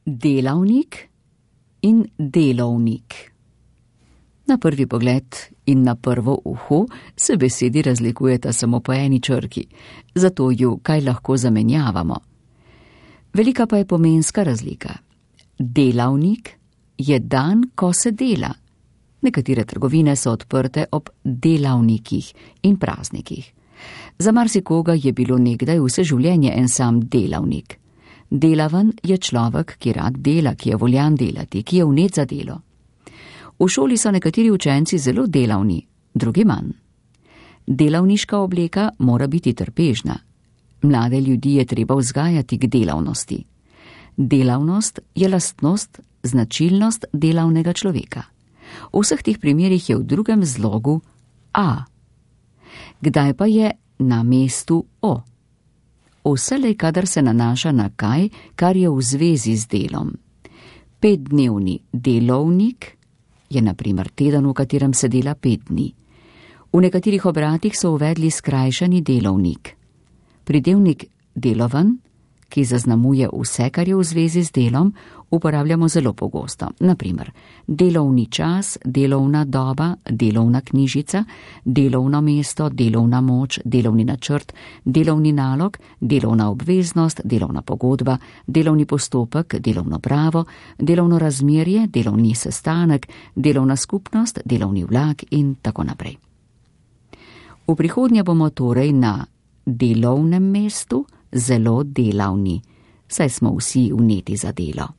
delavnik in delovnik. Na prvi pogled in na prvo uho se besedi razlikujeta samo po eni črki, zato ju kaj lahko zamenjavamo. Velika pa je pomenska razlika. Delavnik je dan, ko se dela. Nekatere trgovine so odprte ob delavnikih in praznikih. Za marsikoga je bilo nekdaj vse življenje en sam delavnik. Delaven je človek, ki rad dela, ki je voljan delati, ki je vnet za delo. V šoli so nekateri učenci zelo delavni, drugi manj. Delavniška obleka mora biti trpežna. Mlade ljudi je treba vzgajati k delavnosti. Delavnost je lastnost, značilnost delavnega človeka. V vseh teh primerih je v drugem zlogu a. Kdaj pa je na mestu o? Vselej, kadar se nanaša na kaj, kar je v zvezi z delom. 5-dnevni delovnik je na primer teden, v katerem se dela 5 dni. V nekaterih obratih so uvedli skrajšani delovnik. Pridevnik deloven, ki zaznamuje vse, kar je v zvezi z delom, uporabljamo zelo pogosto. Na primer, delovni čas, delovna doba, delovna knjižica, delovno mesto, delovna moč, delovni načrt, delovni nalog, delovna obveznost, delovna pogodba, delovni postopek, delovno pravo, delovno razmerje, delovni sestanek, delovna skupnost, delovni vlak in tako naprej. V prihodnje bomo torej na delovnem mestu zelo delavni, saj smo vsi vneti za delo.